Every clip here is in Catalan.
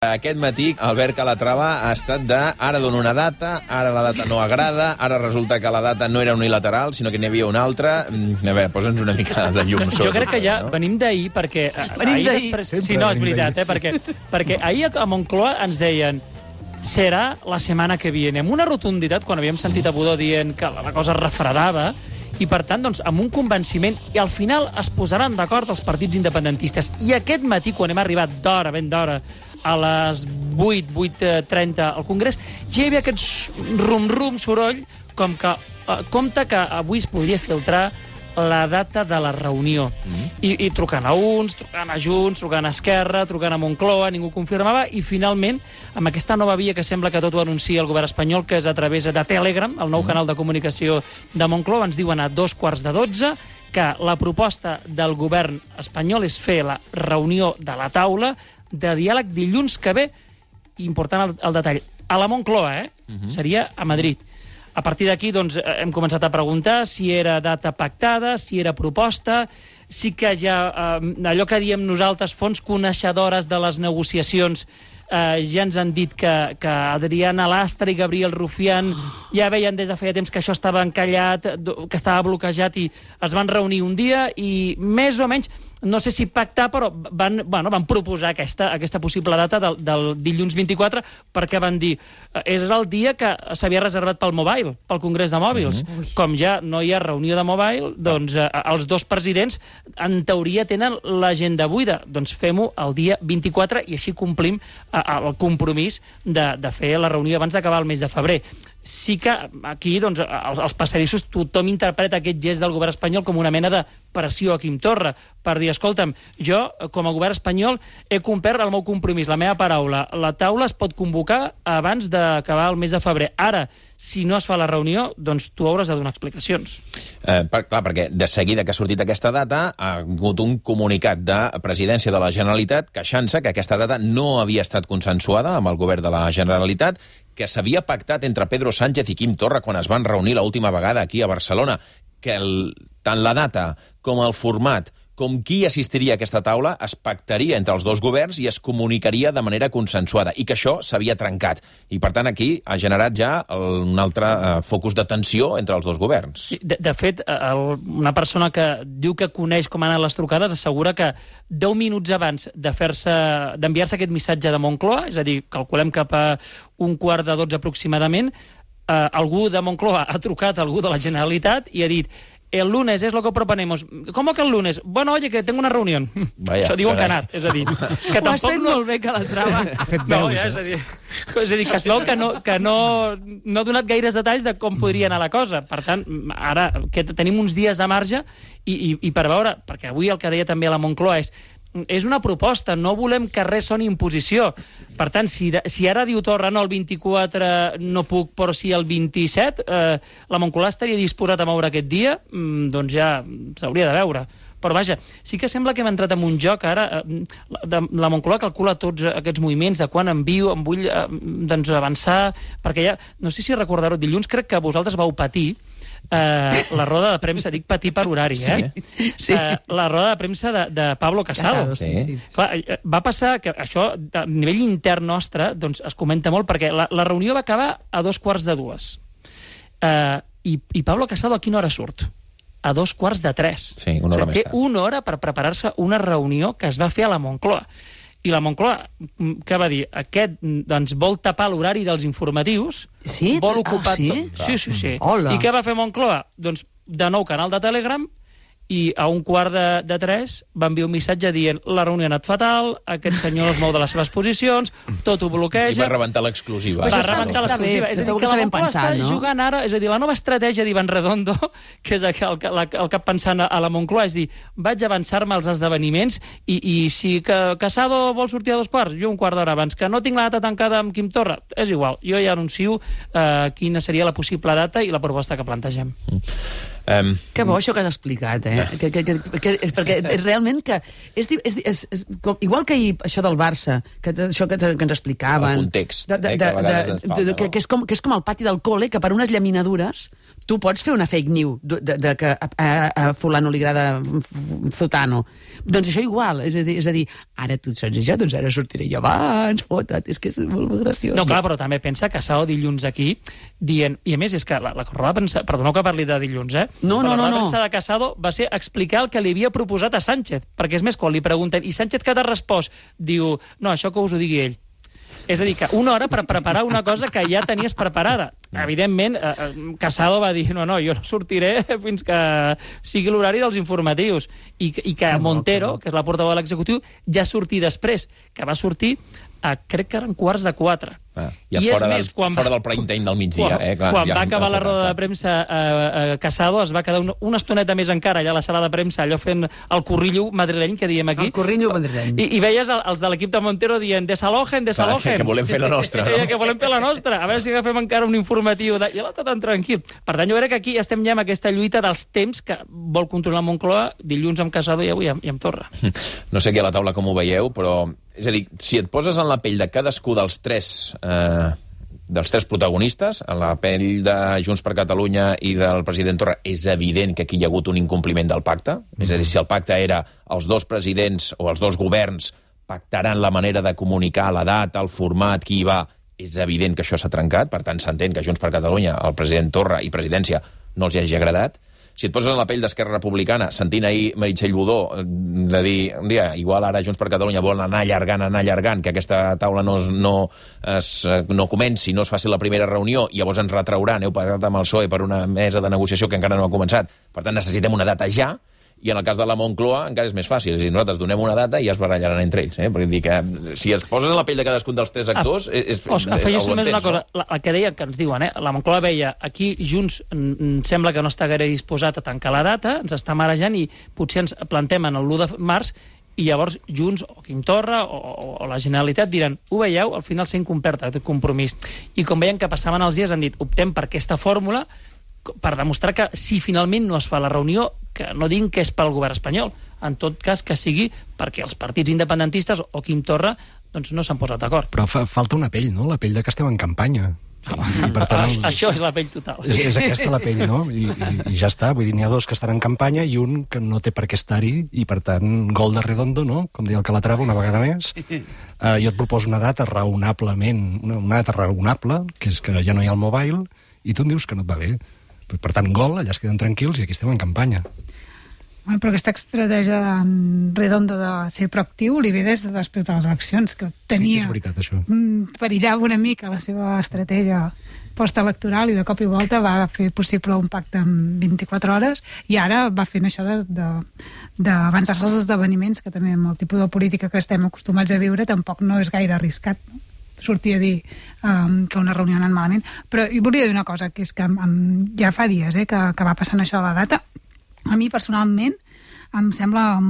Aquest matí, Albert Calatrava ha estat de ara dono una data, ara la data no agrada, ara resulta que la data no era unilateral, sinó que n'hi havia una altra. A veure, posa'ns una mica de llum sobre. Jo crec que ja venim d'ahir, perquè... Venim d'ahir. Sí, no, és veritat, perquè ahir a Moncloa ens deien serà la setmana que viene, amb una rotunditat, quan havíem sentit a Budó dient que la cosa es refredava, i per tant, doncs, amb un convenciment, i al final es posaran d'acord els partits independentistes. I aquest matí, quan hem arribat d'hora, ben d'hora, a les 8:30 al Congrés, ja hi havia aquest rum-rum, soroll, com que compte que avui es podria filtrar la data de la reunió. I trucant a uns, trucant a Junts, trucant a Esquerra, trucant a Moncloa, ningú confirmava, i finalment, amb aquesta nova via que sembla que tot ho anuncia el govern espanyol, que és a través de Telegram, el nou canal de comunicació de Moncloa, ens diuen a 11:45 que la proposta del govern espanyol és fer la reunió de la taula de diàleg dilluns que ve, important el detall, a la Moncloa, seria a Madrid. A partir d'aquí, doncs, hem començat a preguntar si era data pactada, si era proposta, sí que ja allò que diem nosaltres, fonts coneixedores de les negociacions, ja ens han dit que Adriana Lastra i Gabriel Rufián ja veien des de feia temps que això estava encallat, que estava bloquejat, i es van reunir un dia i més o menys, no sé si pactar, però van proposar aquesta possible data del dilluns 24, perquè van dir és el dia que s'havia reservat pel Mobile, pel Congrés de Mòbils. Com ja no hi ha reunió de Mobile, doncs els dos presidents en teoria tenen l'agenda buida. Doncs fem-ho el dia 24 i així complim el compromís de fer la reunió abans d'acabar el mes de febrer. Sí que aquí, doncs, als passadissos tothom interpreta aquest gest del govern espanyol com una mena de pressió a Quim Torra, per dir, escolta'm, jo, com a govern espanyol, he complert el meu compromís, la meva paraula. La taula es pot convocar abans d'acabar el mes de febrer. Ara, si no es fa la reunió, doncs tu hauràs de donar explicacions. Clar, perquè de seguida que ha sortit aquesta data ha hagut un comunicat de Presidència de la Generalitat queixant-se que aquesta data no havia estat consensuada amb el govern de la Generalitat, que s'havia pactat entre Pedro Sánchez i Quim Torra quan es van reunir l'última vegada aquí a Barcelona, que tant la data com el format com qui assistiria a aquesta taula es pactaria entre els dos governs i es comunicaria de manera consensuada, i que això s'havia trencat. I, per tant, aquí ha generat ja un altre focus de tensió entre els dos governs. Sí, de fet, una persona que diu que coneix com han anat les trucades assegura que 10 minuts abans d'enviar-se aquest missatge de Moncloa, és a dir, calculem cap a 11:45 aproximadament, algú de Moncloa ha trucat a algú de la Generalitat i ha dit: el lunes es lo que proponemos. ¿Cómo que el lunes? Bueno, oye, que tengo una reunión. Vaya, això diuen que ha anat, és a dir... Que ho has fet molt bé, Calatrava. És a dir, que es veu que no ha donat gaires detalls de com podria anar la cosa. Per tant, ara que tenim uns dies de marge i per veure, perquè avui el que deia també a la Moncloa és una proposta, no volem que res soni imposició. Per tant, si ara diu Torra no, el 24 no puc, però sí el 27, la Moncloa estaria disposat a moure aquest dia, doncs ja s'hauria de veure. Però vaja, sí que sembla que hem entrat en un joc ara, la Moncloa calcula tots aquests moviments, de quan em vull avançar, perquè ja, no sé si recordareu, dilluns crec que vosaltres vau patir la roda de premsa, dic patir per horari, Sí. La roda de premsa de Pablo Casado. Sí. Clar, va passar que això, a nivell intern nostre, doncs es comenta molt, perquè la reunió va acabar a 2:45. I Pablo Casado a quina hora surt? A 2:45. Sí, una hora més tard. Té una hora per preparar-se una reunió que es va fer a la Moncloa. I la Moncloa, què va dir? Aquest, doncs, vol tapar l'horari dels informatius. Sí? Vol ocupar sí? Sí. Hola. I què va fer Moncloa? Doncs, de nou, canal de Telegram, i a 2:45 va enviar un missatge dient la reunió ha anat fatal, aquest senyor es mou de les seves posicions, tot ho bloqueja... I va rebentar l'exclusiva. Va rebentar l'exclusiva. És a dir, que la Moncloa està jugant ara, és a dir, la nova estratègia d'Iván Redondo, que és el cap pensant a la Moncloa, és dir, vaig avançar-me als esdeveniments i si Casado vol sortir a 2:15, jo un quart d'hora abans, que no tinc la data tancada amb Quim Torra, és igual, jo ja anuncio quina seria la possible data i la proposta que plantegem. Que bo això que has explicat, és perquè realment que igual que ahir això del Barça, això que ens explicaven... El context, que a vegades ens falta, no? Que és com el pati del col·le, que per unes llaminadures tu pots fer una fake news de que a fulano li agrada Zutano. Doncs això igual, és a dir, ara tu saps això, doncs ara sortiré jo abans, fota't, és que és molt graciós. No, clar, però també pensa que Casado dilluns aquí dient, i a més és que la roda de premsa, perdoneu que parli de dilluns, No. La roda de premsa de Casado va ser explicar el que li havia proposat a Sánchez, perquè és més, quan li pregunten, i Sánchez què t'ha respost? Diu, no, això que us ho digui ell. És a dir, que una hora per preparar una cosa que ja tenies preparada. Evidentment, Casado va dir, no, jo no sortiré fins que sigui l'horari dels informatius. I que Montero, que és la portaveu de l'executiu, ja sortir després, que va sortir crec que eren 3:45. Ja fora del prime time del migdia. Quan va acabar la roda de premsa Casado, es va quedar una estoneta més encara allà a la sala de premsa, allò fent el corrillo madrileny, que diem aquí. El corrillo madrileny. I veies els de l'equip de Montero dient desalojen. Que volem fer la nostra, no? Que volem fer la nostra. A veure si agafem encara un informatiu. I l'altre tan tranquil. Per tant, jo crec que aquí estem ja amb aquesta lluita dels temps que vol controlar Moncloa dilluns amb Casado i avui amb Torra. No sé aquí a la taula com ho veieu, però... És a dir, si et poses en la pell de cadascú dels tres protagonistes, en la pell de Junts per Catalunya i del president Torra, és evident que aquí hi ha hagut un incompliment del pacte. És a dir, si el pacte era els dos presidents o els dos governs pactaran la manera de comunicar, la data, el format, qui hi va, és evident que això s'ha trencat. Per tant, s'entén que Junts per Catalunya, el president Torra i presidència no els hagi agradat. Si et poses en la pell d'Esquerra Republicana, sentint ahir Meritxell Budó de dir, un dia, igual ara Junts per Catalunya vol anar allargant, que aquesta taula no comenci, no es faci la primera reunió, i llavors ens retrauran, heu pagat amb el PSOE per una mesa de negociació que encara no ha començat. Per tant, necessitem una data ja, i en el cas de la Moncloa encara és més fàcil. És a dir, nosaltres donem una data i ja es barallaran entre ells. Perquè dir que si es poses en la pell de cadascun dels tres actors... Afegeixo només una cosa. El que deien, que ens diuen, la Moncloa veia aquí Junts sembla que no està gaire disposat a tancar la data, ens està marejant i potser ens plantem en l'1 de març i llavors Junts o Quim Torra o la Generalitat diran, ho veieu, al final s'ha incomplert aquest compromís. I com veien que passaven els dies han dit, optem per aquesta fórmula per demostrar que si finalment no es fa la reunió, que no diguin que és pel govern espanyol, en tot cas que sigui perquè els partits independentistes o Quim Torra doncs no s'han posat d'acord. Però falta una pell, no? La pell de que estem en campanya. I per tant, això és la pell total. És aquesta la pell, no? I ja està. Vull dir, n'hi ha dos que estan en campanya i un que no té per què estar-hi i, per tant, gol de Redondo, no? Com deia el Calatrava una vegada més. Jo et proposo una data raonablement, una data raonable, que és que ja no hi ha el mobile, i tu em dius que no et va bé. Per tant, gol, allà es queden tranquils i aquí estem en campanya. Però aquesta estratègia de Redondo de ser proactiu li ve des de després de les eleccions, que tenia... Sí, és veritat, això. Perillava una mica la seva estratègia postelectoral i de cop i volta va fer possible un pacte en 24 hores i ara va fent això d'avançar-se als esdeveniments, que també amb el tipus de política que estem acostumats a viure tampoc no és gaire arriscat, no? Sortir a dir que una reunió ha anat malament. Però hi volia dir una cosa, que és que ja fa dies que va passant això de la data. A mi, personalment, em sembla...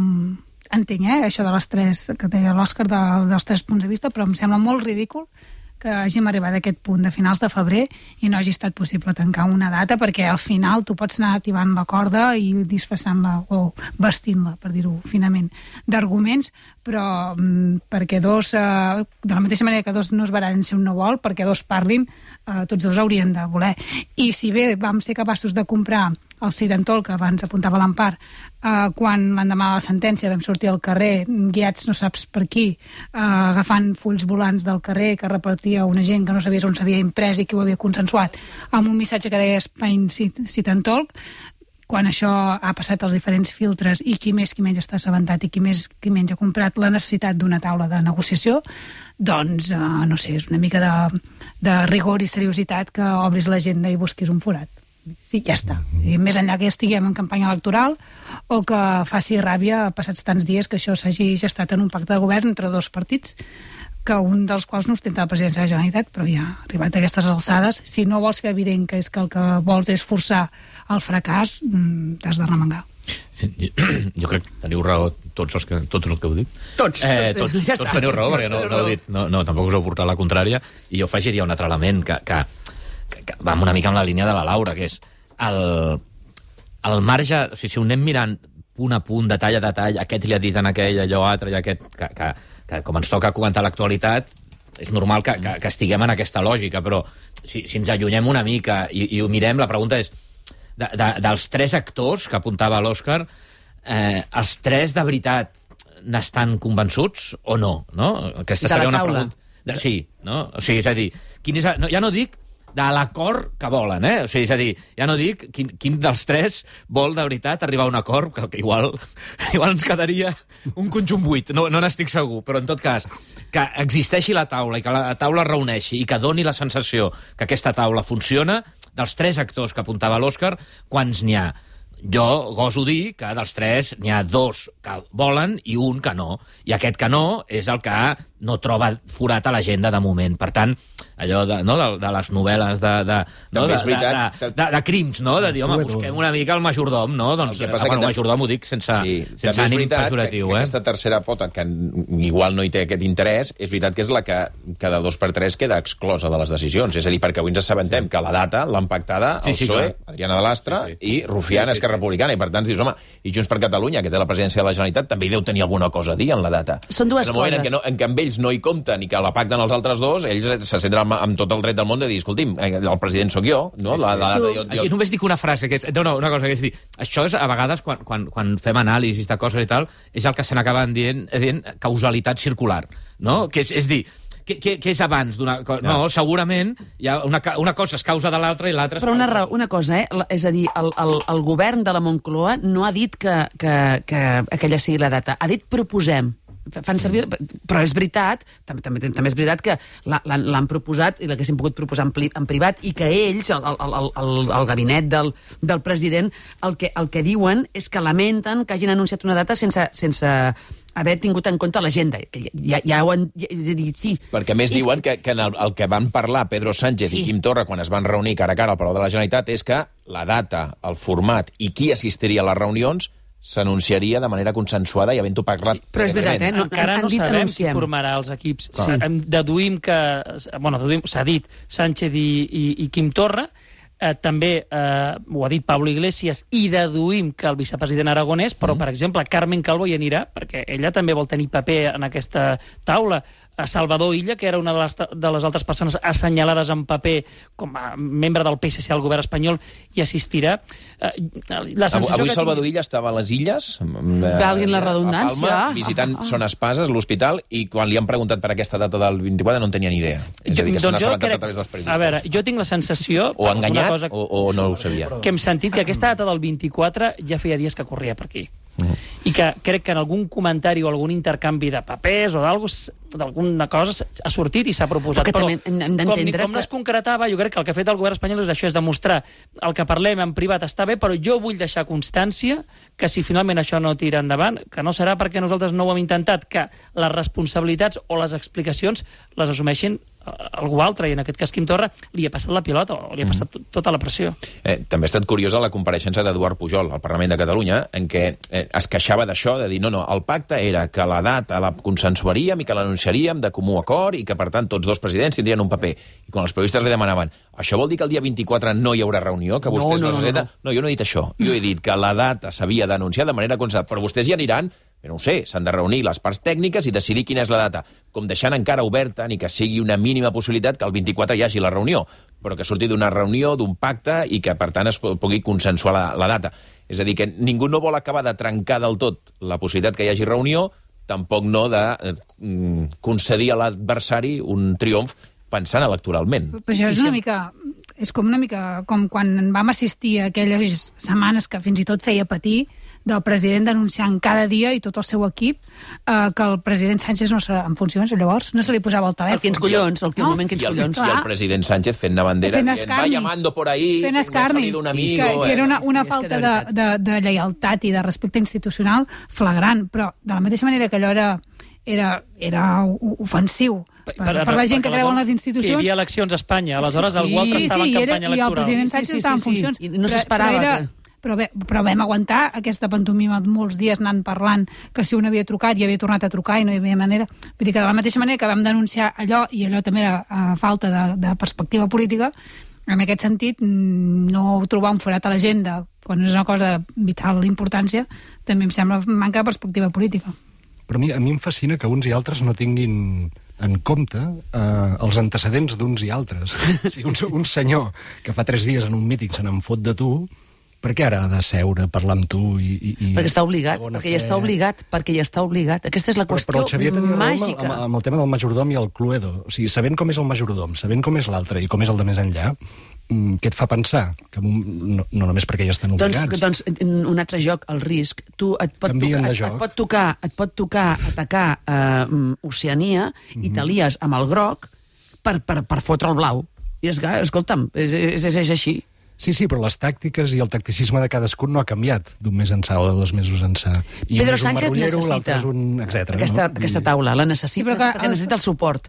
Entenc, això de les tres, que deia l'Òscar dels tres punts de vista, però em sembla molt ridícul que hàgim arribat a aquest punt de finals de febrer i no hagi estat possible tancar una data, perquè al final tu pots anar activant la corda i disfressant-la o vestint-la, per dir-ho finament, d'arguments, però perquè dos, de la mateixa manera que dos no es barallen si un no vol, perquè dos parlin, tots dos haurien de voler. I si bé vam ser capaços de comprar el Sirentol, que abans apuntava l'Empar, quan l'endemà de la sentència vam sortir al carrer, guiats no saps per qui, agafant fulls volants del carrer que repartia una gent que no sabies on s'havia imprès i qui ho havia consensuat, amb un missatge que deia Spain Sit-and-Talk, quan això ha passat als diferents filtres i qui més qui menys està assabentat i qui més qui menys ha comprat la necessitat d'una taula de negociació, doncs, no sé, és una mica de rigor i seriositat que obris l'agenda i busquis un forat. Sí, ja està. I més enllà que estiguem en campanya electoral o que faci ràbia passats tants dies que això s'hagi gestat en un pacte de govern entre dos partits, que un dels quals no ostenta la presidència de la Generalitat, però ja arribat a aquestes alçades, si no vols fer evident que és que el que vols és forçar el fracàs, t'has de remengar. Sí, jo crec que teniu raó tots els que heu dit. Tots Teniu raó, perquè no heu dit, no, tampoc us heu portat la contrària, i jo afegiria un altre element que va una mica en la línia de la Laura, que és al marge, o sigui, si ho anem mirant punt a punt, detall a detall, aquest li ha dit en aquell, allò altre, i aquest, que com ens toca comentar l'actualitat, és normal que estiguem en aquesta lògica, però si ens allunyem una mica i ho mirem, la pregunta és, dels 3 actors que apuntava l'Òscar, els 3 de veritat n'estan convençuts o no? Aquesta seria una pregunta. Sí, no? O sigui, és a dir, ja no dic de l'acord que volen, o sigui, és a dir, ja no dic quin dels 3 vol de veritat arribar a un acord, que igual ens quedaria un conjunt buit, no n'estic segur, però en tot cas, que existeixi la taula i que la taula es reuneixi i que doni la sensació que aquesta taula funciona, dels 3 actors que apuntava l'Òscar, quants n'hi ha? Jo goso dir que dels 3 n'hi ha 2 que volen i un que no. I aquest que no és el que no troba forat a l'agenda de moment. Per tant, allò de les novel·les de crims, no? De dir, home, busquem una mica el majordom, no? Doncs el majordom ho dic sense ànim pejoratiu. Aquesta tercera pota, que igual no hi té aquest interès, és veritat que és la que de 2x3 queda exclosa de les decisions. És a dir, perquè avui ens assabentem que la data l'han pactada el PSOE, Adriana de Lastra, i Rufián, Esquerra Republicana, i per tant dius, home, i Junts per Catalunya, que té la presidència de la Generalitat, també hi deu tenir alguna cosa a dir en la data. Són dues coses. En el moment en què amb ells no hi compten i que la pacten els altres 2, ells se senten amb tot el dret del món de dir, escolti'm, el president sóc jo, no? Jo només dic una frase, que és, una cosa, que és dir, això és, a vegades, quan fem anàlisis de coses i tal, és el que se n'acaben dient causalitat circular, no? Que és dir, què és abans d'una cosa? No, segurament una cosa és causa de l'altra i l'altra és... Però una cosa, és a dir, el govern de la Moncloa no ha dit que aquella sigui la data, ha dit proposem. Fan servir, però és veritat, també és veritat que l'han proposat i l'haguessin pogut proposar en privat i que ells, el gabinet del president, el que diuen és que lamenten que hagin anunciat una data sense haver tingut en compte l'agenda. Ja ho han... És a dir, sí. Perquè més diuen que el que van parlar Pedro Sánchez i Quim Torra quan es van reunir cara a cara al Palau de la Generalitat és que la data, el format i qui assistiria a les reunions s'anunciaria de manera consensuada i havent-ho parlat... Sí, però és veritat, encara no sabem qui formarà els equips. Deduïm que... s'ha dit Sánchez i Quim Torra, també ho ha dit Pablo Iglesias, i deduïm que el vicepresident aragonès, però, per exemple, Carmen Calvo hi anirà, perquè ella també vol tenir paper en aquesta taula. Salvador Illa, que era una de les altres persones assenyalades en paper com a membre del PSC al govern espanyol, hi assistirà. Avui Salvador Illa estava a les Illes, valguin la redundància, a Palma, visitant Son Espases, l'hospital, i quan li han preguntat per aquesta data del 24 no en tenia ni idea. És a dir, que se n'ha assabentat a través dels periodistes. A veure, jo tinc la sensació... O enganyat o no ho sabia. Que hem sentit que aquesta data del 24 ja feia dies que corria per aquí. I que crec que en algun comentari o algun intercanvi de papers o d'alguna cosa ha sortit i s'ha proposat. Però com no es concretava, jo crec que el que ha fet el govern espanyol és això, és demostrar el que parlem en privat està bé, però jo vull deixar constància que si finalment això no tira endavant, que no serà perquè nosaltres no ho hem intentat, que les responsabilitats o les explicacions les assumeixin algú altre, i en aquest cas Quim Torra li ha passat la pilota o li ha passat tota la pressió. També ha estat curiosa la compareixença d'Eduard Pujol al Parlament de Catalunya, en què es queixava d'això, de dir, no, el pacte era que la data la consensuaríem i que l'anunciaríem de comú acord i que, per tant, tots 2 presidents tindrien un paper. I quan els periodistes li demanaven, això vol dir que el dia 24 no hi haurà reunió, que vostès no se senten... No, jo no he dit això. Jo he dit que la data s'havia d'anunciar de manera consensuada, però vostès hi aniran. No ho sé, s'han de reunir les parts tècniques i decidir quina és la data, com deixant encara oberta ni que sigui una mínima possibilitat que el 24 hi hagi la reunió, però que surti d'una reunió, d'un pacte, i que, per tant, es pugui consensuar la data. És a dir, que ningú no vol acabar de trencar del tot la possibilitat que hi hagi reunió, tampoc no de concedir a l'adversari un triomf pensant electoralment. Però això és una mica... És com una mica com quan vam assistir a aquelles setmanes que fins i tot feia patir del president denunciant cada dia i tot el seu equip que el president Sánchez no serà en funcions, llavors no se li posava el telèfon. El quins collons, el moment que collons. I el president Sánchez fent una bandera, va llamando por ahí, fent escarni, que era una falta de lleialtat i de respecte institucional flagrant, però de la mateixa manera que allò era ofensiu per la gent que creu en les institucions. Que hi havia eleccions a Espanya, aleshores algú altre estava en campanya electoral. I el president Sánchez estava en funcions. I no s'esperava. Però vam aguantar aquesta pantomima molts dies anant parlant que si un havia trucat i havia tornat a trucar i no hi havia manera. Vull dir que de la mateixa manera que vam denunciar allò, i allò també era falta de perspectiva política, en aquest sentit, no trobar un forat a l'agenda quan és una cosa de vital importància, també em sembla manca de perspectiva política. Però a mi em fascina que uns i altres no tinguin en compte els antecedents d'uns i altres. O sigui, un senyor que fa 3 dies en un míting se n'en fot de tu, per què ara ha de seure, parlar amb tu i perquè està obligat, perquè ja està obligat. Aquesta és la qüestió però el Xavier tenia màgica. raó amb el tema del majordom i el Cluedo. O sigui, sabent com és el majordom, sabent com és l'altre i com és el de més enllà, què et fa pensar? Que no només perquè ja estan obligats. Doncs un altre joc, el risc. Tu et pot tocar atacar Oceania i t'alies amb el groc per fotre el blau. I escolta'm, és així. Sí, però les tàctiques i el tacticisme de cadascun no ha canviat d'un mes ençà o de 2 mesos ençà. I Pedro Sánchez necessita aquesta taula, la necessita, perquè necessita el suport.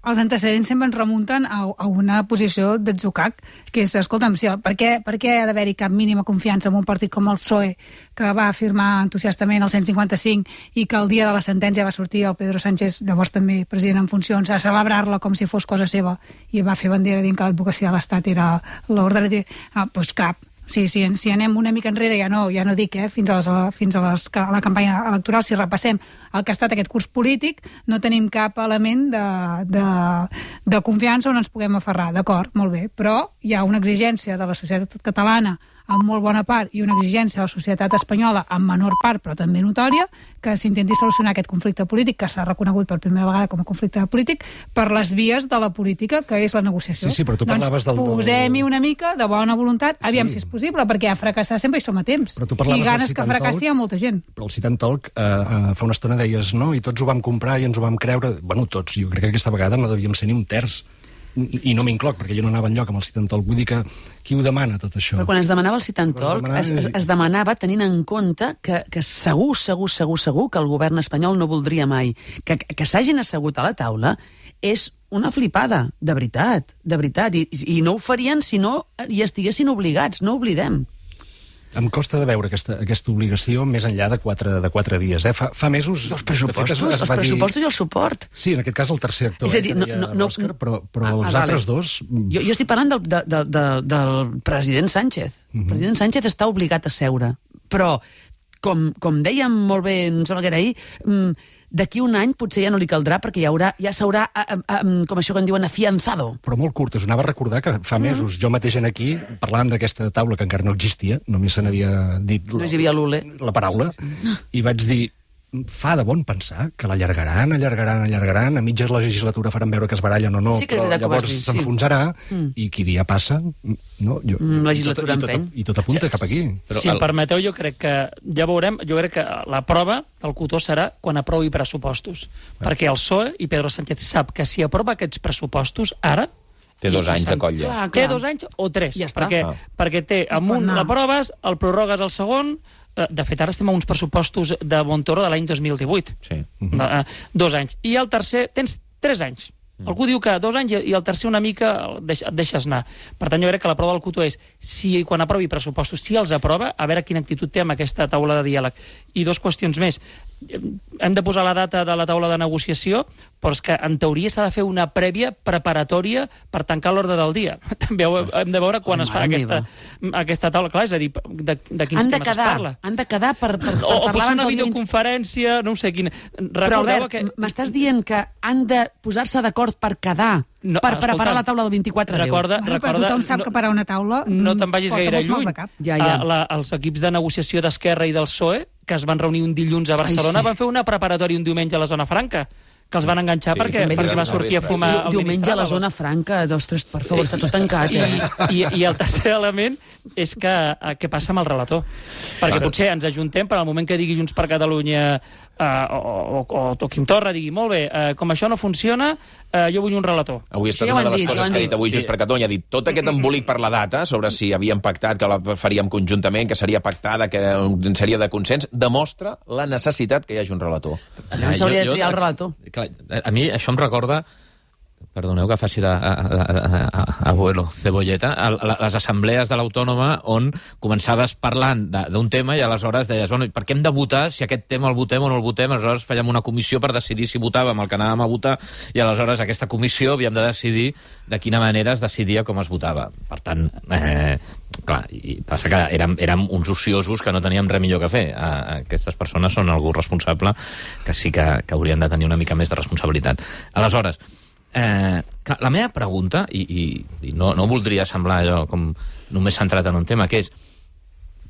Els antecedents sempre ens remunten a una posició d'atzucac, que és, escolta'm, per què ha d'haver-hi cap mínima confiança en un partit com el PSOE, que va firmar entusiastament el 155 i que el dia de la sentència va sortir el Pedro Sánchez, llavors també president en funcions, a celebrar-la com si fos cosa seva, i va fer bandera dient que l'advocacia de l'Estat era l'ordre. Doncs cap. Sí, si anem una mica enrere, ja no dic, fins a la campanya electoral, si repassem el que ha estat aquest curs polític, no tenim cap element de confiança on ens puguem aferrar. D'acord, molt bé, però hi ha una exigència de la societat catalana en molt bona part i una exigència de la societat espanyola en menor part, però també notòria, que s'intenti solucionar aquest conflicte polític, que s'ha reconegut per primera vegada com a conflicte polític, per les vies de la política, que és la negociació. Sí, però tu parlaves del... Posem-hi una mica de bona voluntat, aviam si és possible, perquè a fracassar sempre hi som a temps. I ganes que fracassi hi ha molta gent. Però el Sit and Talk fa una estona deies, no? I tots ho vam comprar i ens ho vam creure. Bueno, tots. Jo crec que aquesta vegada no devíem ser ni un terç. I no m'incloc, perquè jo no anava enlloc amb el Sit and Talk. Vull dir que qui ho demana, tot això? Però quan es demanava el Sit and Talk, es demanava tenint en compte que segur que el govern espanyol no voldria mai. Que s'hagin assegut a la taula és una flipada, de veritat. I no ho farien si no hi estiguessin obligats, no ho oblidem. Em costa de veure aquesta obligació més enllà de 4 dies. Fa mesos... Els pressupostos i el suport. Sí, en aquest cas el tercer actor. És a dir, l'Òscar, però els altres dos... Jo estic parlant del president Sánchez. El president Sánchez està obligat a seure. Però, com dèiem molt bé, em sembla que era ahir, d'aquí un any potser ja no li caldrà perquè ja s'haurà, com això que en diuen, afianzado. Però molt curt, us anava a recordar que fa mesos jo mateix aquí parlàvem d'aquesta taula que encara no existia, només se n'havia dit la paraula, i vaig dir, fa de bon pensar que l'allargaran, a mitges legislatura faran veure que es barallen o no, però llavors s'enfonsarà i qui dia passa, no? Legislatura empeny. I tot apunta cap aquí. Si em permeteu, jo crec que ja veurem, jo crec que la prova del cotó serà quan aprovi pressupostos, perquè el PSOE i Pedro Sánchez sap que si aprova aquests pressupostos ara té 2 anys de coll ja. Té 2 anys o 3, ja perquè té amunt l'aproves, el prorrogues al segon. De fet, ara estem a uns pressupostos de Montoro de l'any 2018. Sí. 2 anys. I el tercer, tens 3 anys. Algú diu que 2 anys i el tercer una mica et deixes anar. Per tant, jo crec que la prova del cotó és si quan aprovi pressupostos, si els aprova, a veure quina actitud té amb aquesta taula de diàleg. I 2 qüestions més. Hem de posar la data de la taula de negociació, però és que en teoria s'ha de fer una prèvia preparatòria per tancar l'ordre del dia. També hem de veure quan es fa aquesta taula. Clar, és a dir, de quins temes es parla. Han de quedar per parlar o potser una videoconferència, no ho sé quina. Però, Albert, m'estàs dient que han de posar-se d'acord per quedar, per preparar la taula del 24 de Recorda, però tothom sap que parar una taula no te'n vagis gaire lluny. Ja. Els equips de negociació d'Esquerra i del PSOE, que es van reunir un dilluns a Barcelona, van fer una preparatòria un diumenge a la Zona Franca, que els van enganxar perquè va sortir a fumar el diumenge a la Zona Franca, per favor, està tot tancat. I el tercer element és que què passa amb el relator? Perquè potser ens ajuntem per al moment que digui Junts per Catalunya o Quim Torra digui, molt bé, com això no funciona, jo vull un relator. Avui ha estat una de les coses que ha dit avui Junts per Catalunya. Ha dit tot aquest embolic per la data, sobre si havíem pactat, que la faríem conjuntament, que seria pactada, que seria de consens, demostra la necessitat que hi hagi un relator. No s'hauria de triar el relator. Clar, a mi això em recorda, perdoneu que faci d'abuelo cebolleta, les assemblees de l'Autònoma on començaves parlant d'un tema i aleshores deies, bueno, per què hem de votar si aquest tema el votem o no el votem? Aleshores fèiem una comissió per decidir si votàvem el que anàvem a votar i aleshores aquesta comissió havíem de decidir de quina manera es decidia com es votava. Per tant, clar, i passa que érem uns ociosos que no teníem res millor que fer. Aquestes persones són algú responsable que sí que haurien de tenir una mica més de responsabilitat. Aleshores, clar, la meva pregunta, i no voldria semblar allò com només centrat en un tema, que és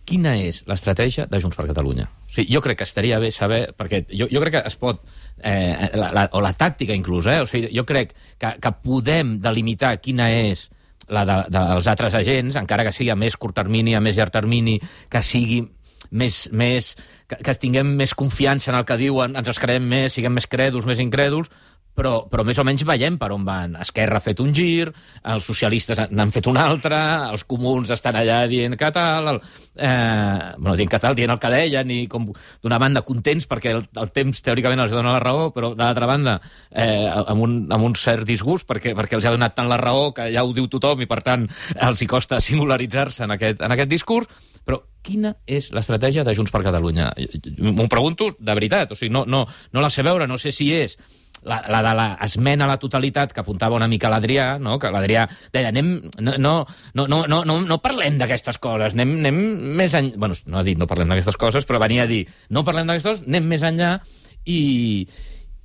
quina és l'estratègia de Junts per Catalunya? O sigui, jo crec que estaria bé saber, perquè jo crec que es pot, o la tàctica inclús, o sigui, jo crec que podem delimitar quina és la dels altres agents, encara que sigui a més curt termini, a més llarg termini, que sigui més que tinguem més confiança en el que diuen, ens els creiem més, siguem més crèduls, més incrèduls, però més o menys veiem per on van. Esquerra ha fet un gir, els socialistes n'han fet un altre, els comuns estan allà dient que tal, dient que tal, dient el que deien, i com d'una banda contents perquè el temps teòricament els dona la raó, però d'altra banda amb un cert disgust perquè els ha donat tant la raó que ja ho diu tothom i per tant els hi costa singularitzar-se en aquest discurs. Però quina és l'estratègia de Junts per Catalunya? M'ho pregunto de veritat, o sigui, no la sé veure, no sé si és la de l'esmena a la totalitat que apuntava una mica l'Adrià, no? Que l'Adrià deia, no parlem d'aquestes coses, anem més enllà. Bueno, no ha dit no parlem d'aquestes coses, però venia a dir no parlem d'aquestes coses, anem més enllà. I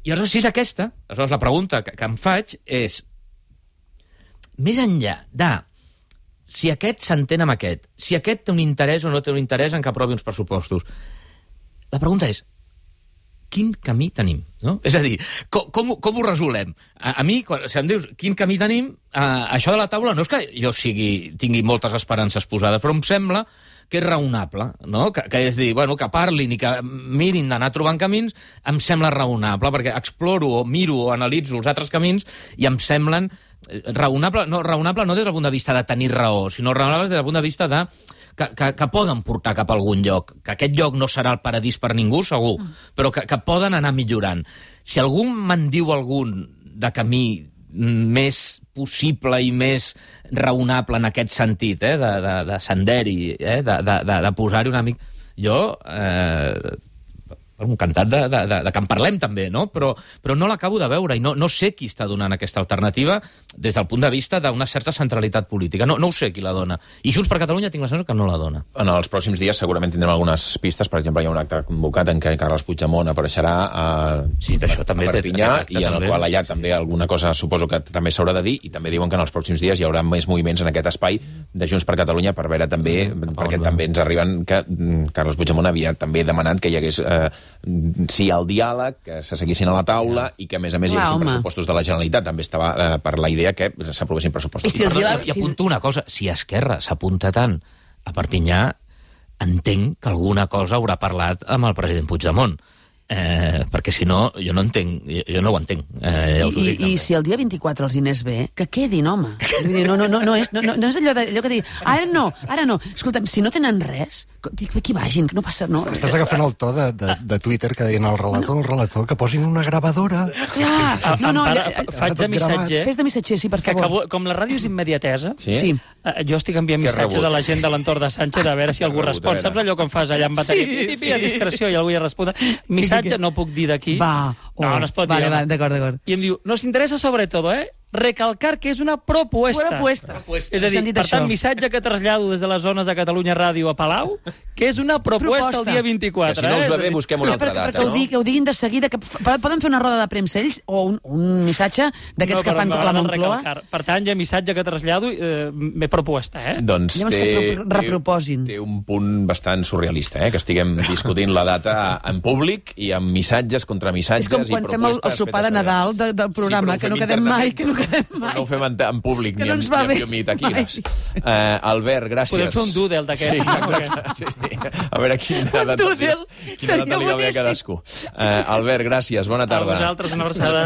aleshores, si és aquesta, aleshores la pregunta que em faig és, més enllà de si aquest s'entén amb aquest, si aquest té un interès o no té un interès en que aprovi uns pressupostos, la pregunta és, quin camí tenim? No? És a dir, com ho resolem? A mi, si em dius quin camí tenim, això de la taula no és que jo tingui moltes esperances posades, però em sembla que és raonable, no? Que és dir, bueno, que parlin i que mirin d'anar trobant camins, em sembla raonable, perquè exploro o miro o analitzo els altres camins i em semblen raonable no des del punt de vista de tenir raó, sinó raonable des del punt de vista de que poden portar cap a algun lloc, que aquest lloc no serà el paradís per ningú, segur, però que poden anar millorant. Si algú me'n diu algun de camí més possible i més raonable en aquest sentit, de senderi, de posar-hi una mica... Jo, encantat de que en parlem també, no? Però no l'acabo de veure i no sé qui està donant aquesta alternativa des del punt de vista d'una certa centralitat política. No ho sé qui la dona. I Junts per Catalunya tinc la sensació que no la dona. En els pròxims dies segurament tindrem algunes pistes. Per exemple, hi ha un acte convocat en què Carles Puigdemont apareixerà a Perpinyà i en el qual allà també alguna cosa suposo que també s'haurà de dir, i també diuen que en els pròxims dies hi haurà més moviments en aquest espai de Junts per Catalunya per veure també, perquè també ens arriben que Carles Puigdemont havia també demanat que hi hagués sí al diàleg, que se seguissin a la taula i que, a més, hi haguessin pressupostos de la Generalitat. També estava per la idea que s'aprovessin pressupostos. I apunto una cosa, si Esquerra s'apunta tant a Perpinyà, entenc que alguna cosa haurà parlat amb el president Puigdemont. Perquè si no, jo no entenc, jo no ho entenc. I si el dia 24 els diners bé, que quedin, home. No és allò que digui, ara no. Escolta'm, si no tenen res, que vagin, que no passa... No. Estàs agafant el to de Twitter que deien el relator, que posin una gravadora. Clar, faig de missatger. Fes de missatger, sí, per favor. Com la ràdio és immediatesa, sí. Jo estic enviant missatge de la gent de l'entorn de Sánchez a veure si algú respon. Saps allò que em fas allà amb bateria? Sí. A discreció i algú hi respon. Missatge no puc dir d'aquí. No es pot dir. Vale, d'acord. I em diu, nos interesa sobre todo, recalcar que és una propuesta. És a dir, per tant, missatge que trasllado des de les zones de Catalunya Ràdio a Palau, que és una proposta el dia 24. Que si no us va bé, busquem una altra data, no? Que ho diguin de seguida, que poden fer una roda de premsa ells, o un missatge d'aquests que fan a la Moncloa. Per tant, hi ha missatge que trasllado, propuesta, Doncs té un punt bastant surrealista, que estiguem discutint la data en públic i amb missatges, contramissatges i propostes. És com quan fem el sopar de Nadal del programa, que no quedem mai, no ho fem en públic ni en taquines. Albert, gràcies. Podem fer un doodle d'aquest. Sí. A veure quina data li va bé a cadascú. Albert, gràcies. Bona tarda. A vosaltres, una abraçada.